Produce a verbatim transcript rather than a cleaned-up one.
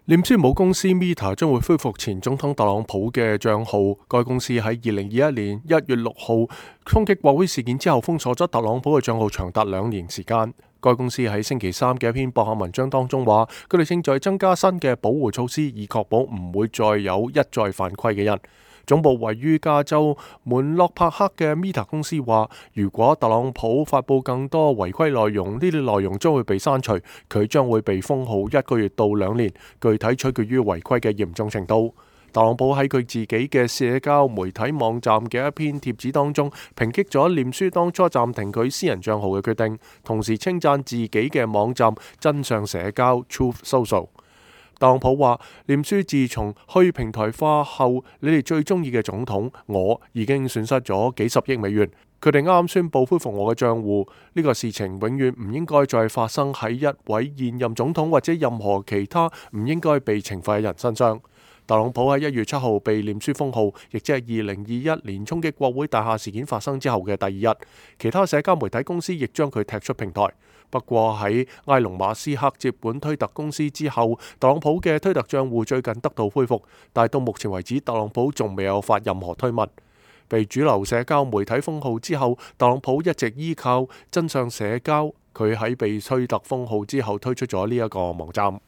臉書母公司 Meta 將會恢復前總統特朗普嘅賬號。該公司喺二零二一年一月六號衝擊國會事件之後封鎖咗特朗普嘅賬號長達兩年時間。該公司喺星期三嘅一篇博客文章當中話，佢哋正在增加新嘅保護措施，以確保唔會再有一再犯規嘅人。總部位於加州門洛帕克嘅 Meta 公司話，如果特朗普發布更多違規內容，呢啲內容將會被刪除，佢將會被封號一個月到兩年，具體取決於違規嘅嚴重程度。特朗普喺佢自己嘅社交媒體網站嘅一篇貼紙當中，抨擊咗臉書當初暫停佢私人帳號嘅決定，同時稱讚自己嘅網站真相社交 Truth Social。特朗普話：臉書自從去平台化後，你哋最中意嘅總統我已經損失咗幾十億美元。佢哋啱啱宣布恢復我嘅賬戶，呢個事情永遠唔應該再發生喺一位現任總統或者任何其他唔應該被懲罰嘅人身上。特朗普喺一月七號被臉書封號，亦即係二零二一年衝擊國會大廈事件發生之後嘅第二日。其他社交媒體公司亦將佢踢出平台。不過喺埃隆馬斯克接管推特公司之後，特朗普嘅推特賬戶最近得到恢復，但係到目前為止，特朗普仲未有發任何推文。被主流社交媒體封號之後，特朗普一直依靠真相社交，佢喺被推特封號之後推出咗呢一個網站。